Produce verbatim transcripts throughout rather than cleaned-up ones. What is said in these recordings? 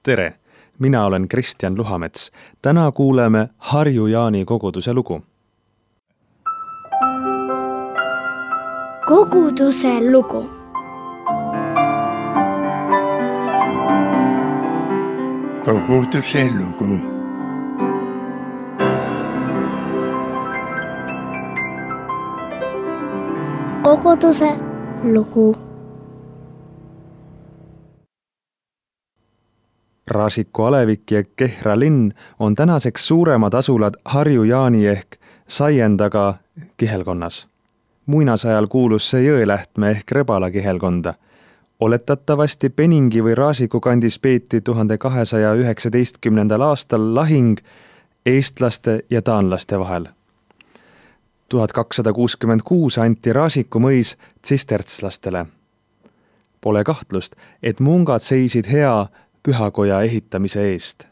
Tere, mina olen Kristjan Luhamets. Täna kuuleme Harju Jaani koguduse lugu. Koguduse lugu. Koguduse lugu. Koguduse lugu. Raasiku alevik ja Kehra linn on tänaseks suuremad asulad Harju Jaani ehk Saiendaga kihelkonnas. Muinasajal kuulus see Jõelähtme ehk Rebala kihelkonda. Oletatavasti Peningi või Raasiku kandis peeti tuhande kahesaja üheksateistkümnendal aastal lahing eestlaste ja taanlaste vahel. tuhat kakssada kuuskümmend kuus anti Raasiku mõis tsistertslastele. Pole kahtlust, et mungad seisid hea pühakoja ehitamise eest.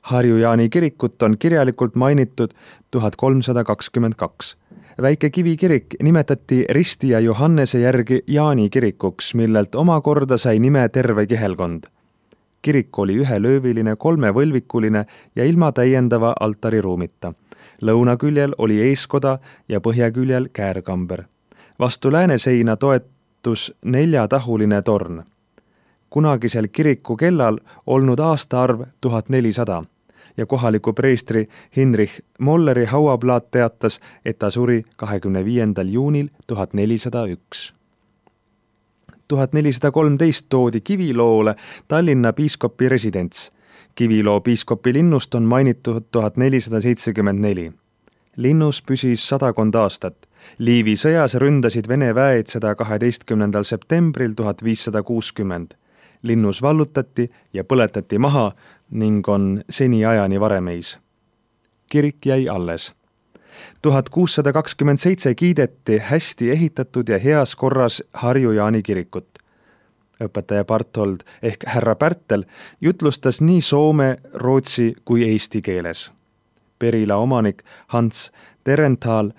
Harju Jaani kirikut on kirjalikult mainitud tuhat kolmsada kakskümmend kaks. Väike kivikirik nimetati Risti ja Johannese järgi Jaani kirikuks, millelt omakorda sai nime terve kihelkond. Kirik oli ühelööviline, kolmevõlvikuline ja ilma täiendava altariruumita. Lõunaküljel oli eeskoda ja põhjaküljel käärkamber. Vastu lääneseina toetus neljatahuline torn. Kunagisel kiriku kellal olnud aastaarv tuhat nelisada ja kohaliku preestri Hinrich Molleri hauaplaat teatas, et ta suri kahekümne viiendal juunil tuhat nelisada üks. tuhat nelisada kolmteist toodi Kiviloole Tallinna piiskopi residents. Kiviloo piiskopi linnust on mainitud tuhat nelisada seitsekümmend neli. Linnus püsis sadakond aastat. Liivi sõjas ründasid Vene väed seda kaheteistkümnendal septembril tuhat viissada kuuskümmend. Linnus vallutati ja põletati maha ning on seni ajani varemeis. Kirik jäi alles. tuhat kuussada kakskümmend seitse kiideti hästi ehitatud ja heas korras Harju Jaani kirikut. Õpetaja Barthold ehk härra Pärtel jutlustas nii soome, rootsi kui eesti keeles. Perila omanik Hans Terenthal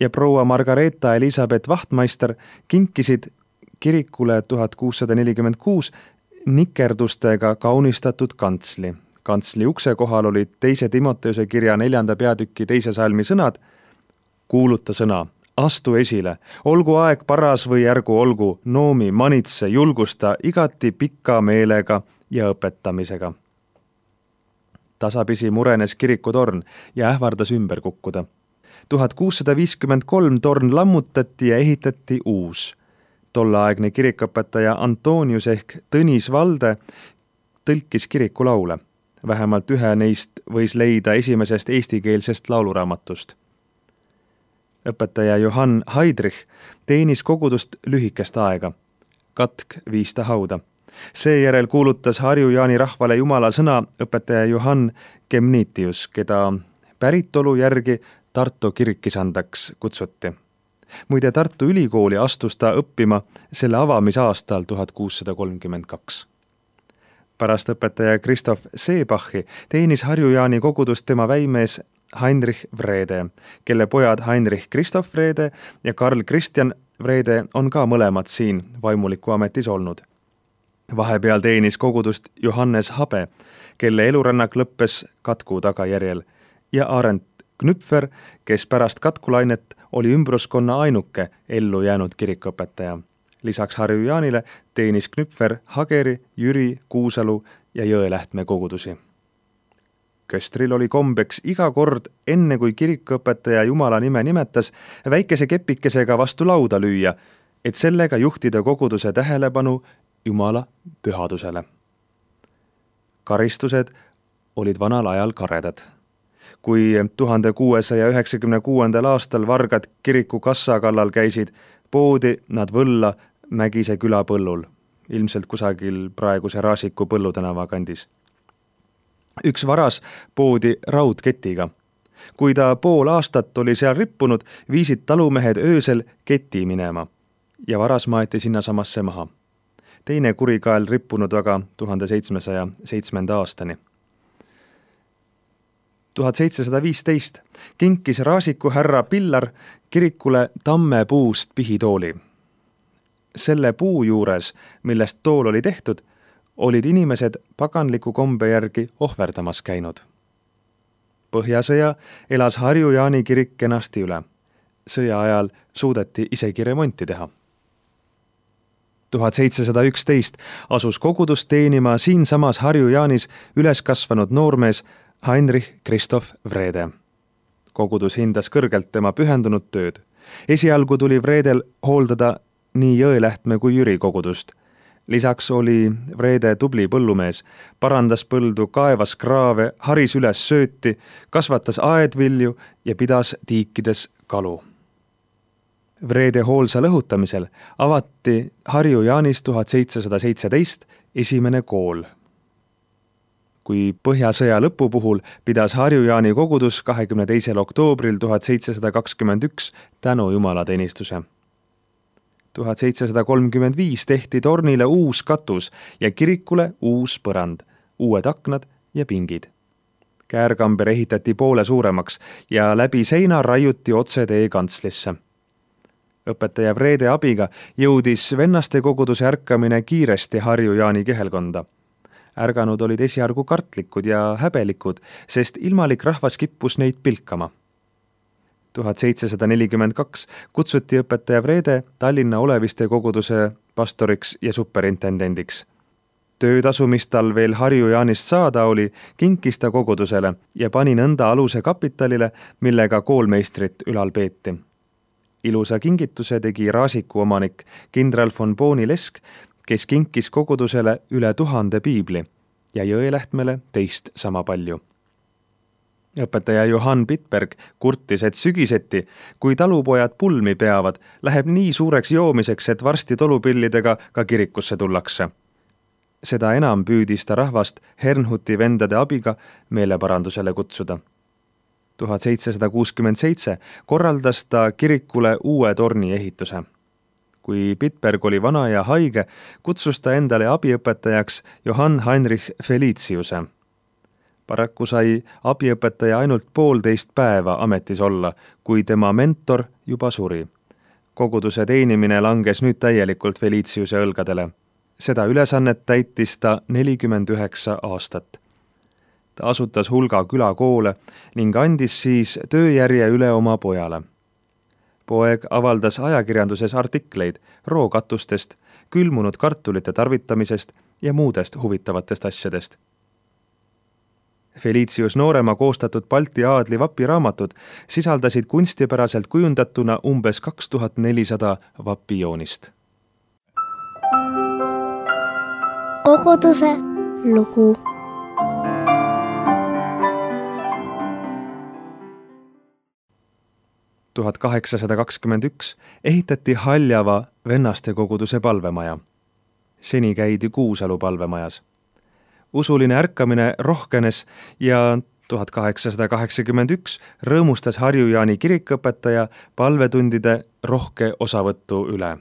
ja proua Margareeta Elisabeth Vahtmeister kinkisid kirikule tuhat kuussada nelikümmend kuus nikerdustega kaunistatud kantsli. Kantsli ukse kohal olid teise Timoteuse kirja neljanda peatüki teise salmi sõnad: kuuluta sõna, astu esile, olgu aeg paras või ärgu olgu, noomi, manitse, julgusta igati pika meelega ja õpetamisega. Tasapisi murenes kirikutorn ja ähvardas ümber kukkuda. tuhat kuussada viiskümmend kolm torn lammutati ja ehitati uus. Tolleaegne kirikõpetaja Antonius ehk Tõnis Valde tõlkis kirikulaule. Vähemalt ühe neist võis leida esimesest eestikeelsest lauluraamatust. Õpetaja Johann Heidrich teenis kogudust lühikest aega. Katk viis ta hauda. Seejärel kuulutas Harju Jaani rahvale jumala sõna õpetaja Johann Kemnitius, keda päritolu järgi Tartu kirikisandaks kutsuti. Muide, Tartu ülikooli astus ta õppima selle avamisaastal tuhat kuussada kolmkümmend kaks. Pärast õpetaja Christoph Seebachi teenis Harju Jaani kogudust tema väimees Heinrich Vrede, kelle pojad Heinrich Christoph Vrede ja Karl Christian Vrede on ka mõlemad siin vaimuliku ametis olnud. Vahepeal teenis kogudust Johannes Habe, kelle elurännak lõppes katku tagajärjel, ja Arent Knüpfer, kes pärast katkulainet oli ümbruskonna ainuke ellu jäänud kirikõpetaja. Lisaks Harju Jaanile teenis Knüpfer Hageri, Jüri, Kuusalu ja Jõelähtme kogudusi. Köstril oli kombeks iga kord, enne kui kirikõpetaja jumala nime nimetas, väikese kepikesega vastu lauda lüüa, et sellega juhtida koguduse tähelepanu jumala pühadusele. Karistused olid vanal ajal karedad. Kui tuhande kuuesaja üheksakümne kuuendal aastal vargad kiriku kassa kallal käisid, poodi nad võlla Mägise küla põllul, ilmselt kusagil praeguse Raasiku Põllutänava kandis. Üks varas poodi raudketiga. Kui ta pool aastat oli seal rippunud, viisid talumehed öösel keti minema ja varas maeti sinna samasse maha. Teine kurikael rippunud aga tuhande seitsmesaja seitsmenda aastani. tuhat seitsesada viisteist kinkis Raasiku härra Pillar kirikule tammepuust pihitooli. Selle puu juures, millest tool oli tehtud, olid inimesed paganliku kombe järgi ohverdamas käinud. Põhjasõja elas Harju-Jaani kirik kenasti üle. Sõja ajal suudeti isegi remonti teha. tuhat seitsesada üksteist asus kogudust teenima siinsamas Harju-Jaanis üles kasvanud noormees Heinrich Christoph Wrede. Kogudus hindas kõrgelt tema pühendunud tööd. Esialgu tuli Wredel hooldada nii Jõelähtme kui Jüri kogudust. Lisaks oli Wrede tubli põllumees, parandas põldu, kaevas kraave, haris üles sööti, kasvatas aedvilju ja pidas tiikides kalu. Wrede hoolsa lõhutamisel avati Harju-Jaanis tuhat seitsesada seitseteist esimene kool. Kui Põhjasõja lõpu puhul pidas Harju-Jaani kogudus kahekümne teisel oktoobril tuhat seitsesada kakskümmend üks tänu jumalateenistuse. tuhat seitsesada kolmkümmend viis tehti tornile uus katus ja kirikule uus põrand, uued aknad ja pingid. Käärkamber ehitati poole suuremaks ja läbi seina raiuti otse tee kantslisse. Õpetaja Wrede abiga jõudis vennaste koguduse ärkamine kiiresti Harju-Jaani kihelkonda. Ärganud olid esiargu kartlikud ja häbelikud, sest ilmalik rahvas kippus neid pilkama. tuhat seitsesada nelikümmend kaks kutsuti õpetaja Wrede Tallinna Oleviste koguduse pastoriks ja superintendendiks. Töötasu, mis tal veel Harju-Jaanist saada oli, kinkis ta kogudusele ja pani nõnda aluse kapitalile, millega koolmeistrit ülal peeti. Ilusa kingituse tegi Raasiku omanik kindral von Booni-Lesk, kes kinkis kogudusele üle tuhande piibli ja Jõelähtmele teist sama palju. Õpetaja Johann Pitberg kurtis, et sügiseti, kui talupojad pulmi peavad, läheb nii suureks joomiseks, et varsti tolupillidega ka kirikusse tullakse. Seda enam püüdis ta rahvast Hernhuti vendade abiga meeleparandusele kutsuda. tuhat seitsesada kuuskümmend seitse korraldas ta kirikule uue torni ehituse. Kui Pitberg oli vana ja haige, kutsus ta endale abiõpetajaks Johann Heinrich Feliciuse. Paraku sai abiõpetaja ainult poolteist päeva ametis olla, kui tema mentor juba suri. Koguduse teenimine langes nüüd täielikult Feliciuse õlgadele. Seda ülesannet täitis ta nelikümmend üheksa aastat. Ta asutas hulga külakoole ning andis siis tööjärje üle oma pojale. Poeg avaldas ajakirjanduses artikleid rookatustest, külmunud kartulite tarvitamisest ja muudest huvitavatest asjadest. Felicius noorema koostatud Balti aadli vapiraamatud sisaldasid kunstipäraselt kujundatuna umbes kaks tuhat nelisada vapijoonist. Koguduse lugu. tuhat kaheksasada kakskümmend üks ehitati Haljava vennaste koguduse palvemaja. Seni käidi Kuusalu palvemajas. Usuline ärkamine rohkenes ja tuhat kaheksasada kaheksakümmend üks rõõmustas Harju-Jaani kirikõpetaja palvetundide rohke osavõttu üle.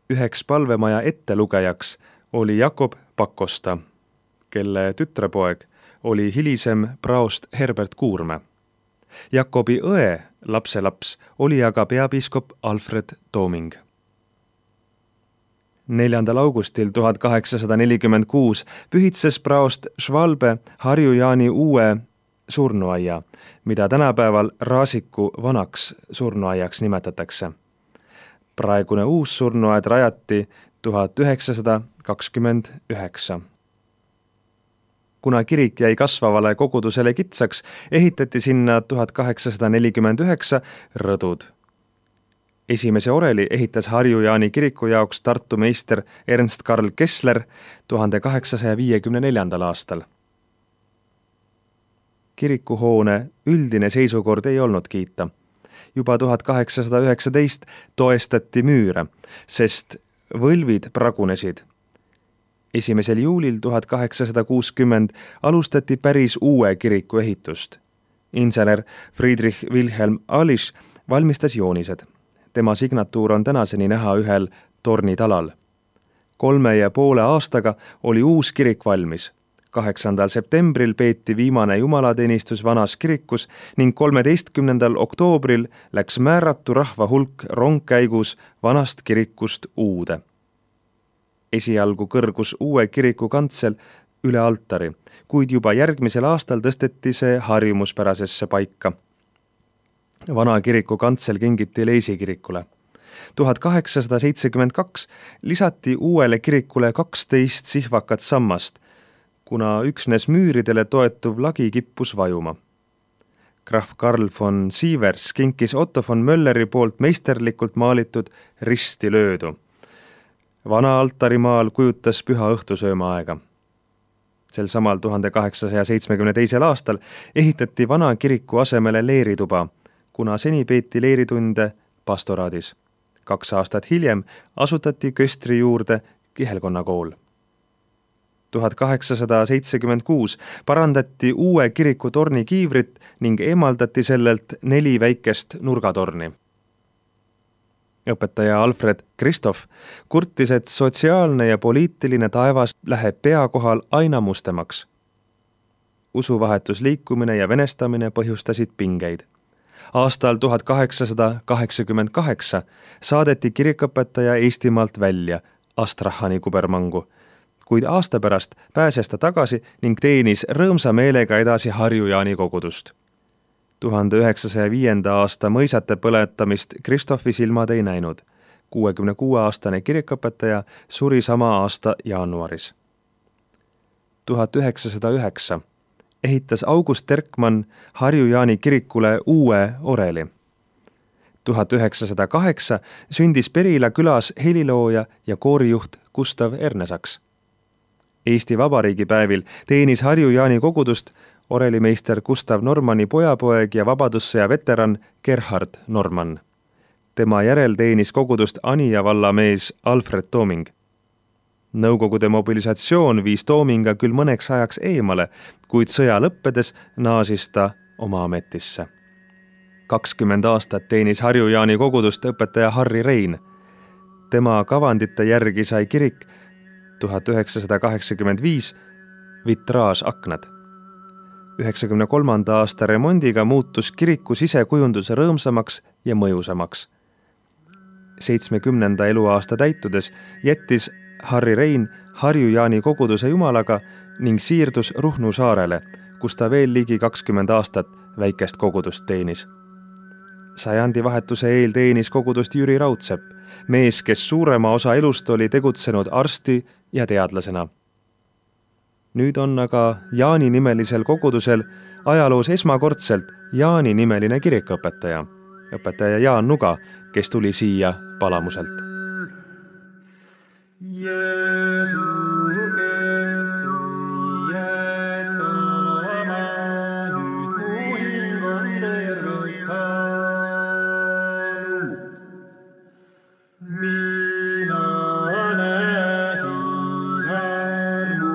Üheks palvemaja ettelugejaks oli Jakob Pakosta, kelle tütrepoeg oli hilisem praost Herbert Kuurme. Jakobi õe lapselaps oli aga peapiiskop Alfred Tooming. neljandal augustil tuhat kaheksasada nelikümmend kuus pühitses praost Schwalbe Harju-Jaani uue surnuaia, mida tänapäeval Raasiku vanaks surnuaiaks nimetatakse. Praegune uus surnuaed rajati tuhat üheksasada kakskümmend üheksa. Kuna kirik jäi kasvavale kogudusele kitsaks, ehitati sinna tuhat kaheksasada nelikümmend üheksa rõdud. Esimese oreli ehitas Harju-Jaani kiriku jaoks Tartu meister Ernst Karl Kessler tuhande kaheksasaja viiekümne neljandal aastal. Kirikuhoone üldine seisukord ei olnud kiita. Juba tuhat kaheksasada üheksateist toestati müüre, sest võlvid pragunesid. Esimesel juulil tuhat kaheksasada kuuskümmend alustati päris uue kiriku ehitust. Insener Friedrich Wilhelm Alisch valmistas joonised. Tema signatuur on tänaseni näha ühel tornitalal. Kolme ja poole aastaga oli uus kirik valmis. kaheksandal septembril peeti viimane jumalateenistus vanas kirikus ning kolmeteistkümnendal oktoobril läks määratu rahva hulk rongkäigus vanast kirikust uude. Esialgu kõrgus uue kiriku kantsel üle altari, kuid juba järgmisel aastal tõsteti see harjumuspärasesse paika. Vana kiriku kantsel kingiti Leisi kirikule. tuhat kaheksasada seitsekümmend kaks lisati uuele kirikule kaksteist sihvakat sammast, kuna üksnes müüridele toetuv lagi kippus vajuma. Graf Karl von Sievers kinkis Otto von Mölleri poolt meisterlikult maalitud risti löödu. Vana altarimaal kujutas püha õhtusööma aega. Sel samal tuhande kaheksasaja seitsmekümne teisel aastal ehitati vana kiriku asemele leerituba, kuna seni peeti leeritunde pastoraadis. Kaks aastat hiljem asutati Köstri juurde kihelkonna kool. tuhat kaheksasada seitsekümmend kuus parandati uue kiriku torni kiivrit ning eemaldati sellelt neli väikest nurgatorni. Õpetaja Alfred Kristoff kurtis, et sotsiaalne ja poliitiline taevas läheb pea kohal aina mustemaks. Usuvahetusliikumine ja venestamine põhjustasid pingeid. Aastal tuhat kaheksasada kaheksakümmend kaheksa saadeti kirikõpetaja Eestimaalt välja Astrahani kubermangu, kuid aasta pärast pääses ta tagasi ning teenis rõõmsa meelega edasi Harju-Jaani kogudust. tuhande üheksasaja viienda aasta mõisate põletamist Kristoffi silmad ei näinud. kuuekümne kuue aastane kirikõpetaja suri sama aasta jaanuaris. tuhat üheksasada üheksa ehitas August Terkmann Harju-Jaani kirikule uue oreli. tuhat üheksasada kaheksa sündis Perila külas helilooja ja koorijuht Gustav Ernesaks. Eesti Vabariigi päevil teenis Harju-Jaani kogudust orelimeister Gustav Normanni pojapoeg ja vabadussõja veteran Gerhard Normann. Tema järel teenis kogudust Anija valla mees Alfred Tooming. Nõukogude mobilisatsioon viis Toominga küll mõneks ajaks eemale, kuid sõja lõppedes naasis ta oma ametisse. kakskümmend aastat teenis Harju-Jaani kogudust õpetaja Harri Rein. Tema kavandite järgi sai kirik tuhat üheksasada kaheksakümmend viis vitraasaknad. üheksakümne kolmanda aasta remondiga muutus kiriku sisekujundus rõõmsamaks ja mõjusamaks. seitsmekümnenda eluaasta täitudes jättis Harri Rein Harju-Jaani koguduse jumalaga ning siirdus Ruhnu saarele, kus ta veel ligi kakskümmend aastat väikest kogudust teenis. Sajandi vahetuse eel teenis kogudust Jüri Raudsepp, mees, kes suurema osa elust oli tegutsenud arsti ja teadlasena. Nüüd on aga Jaani nimelisel kogudusel ajaloos esmakordselt Jaani nimeline kirikõpetaja, õpetaja Jaan Nuga, kes tuli siia Palamuselt. Jeesu, kes tõietama, nüüd mu hing on terveks saanud. Mina nägin armu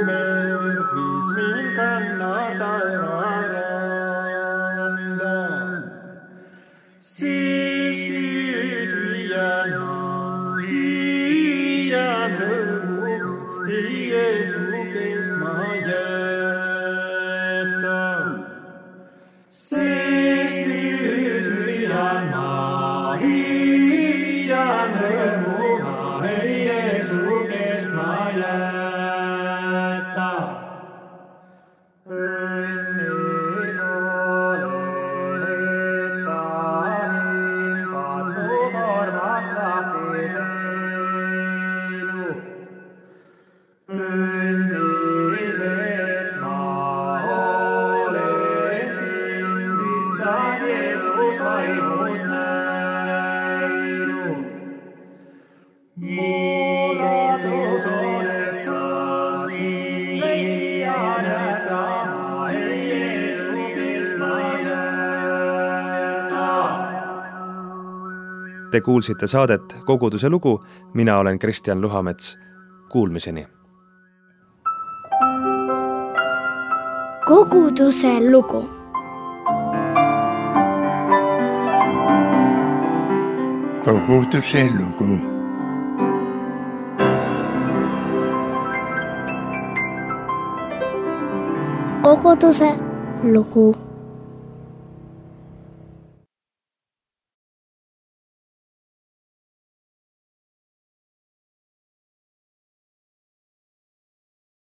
merd, mis mind kannab taevaranda. Siis nüüd hüüan ma, hüüan rõõmu, Jeesukest ma jätan. Siis nüüd hüüan ma, hüüan rõõmu, Jeesukest ma jätan. Õnnis oled sa mind patukorvast lahti teinud. Õnnis, et ma olen sind, issand Jeesus vaimust näinud. Mu ladus oled sa, sind leian jätama, Jeesukest ma jätan. Te kuulsite saadet Koguduse lugu, mina olen Kristjan Luhamets. Kuulmiseni. Koguduse lugu. Koguduse lugu. Koguduse lugu.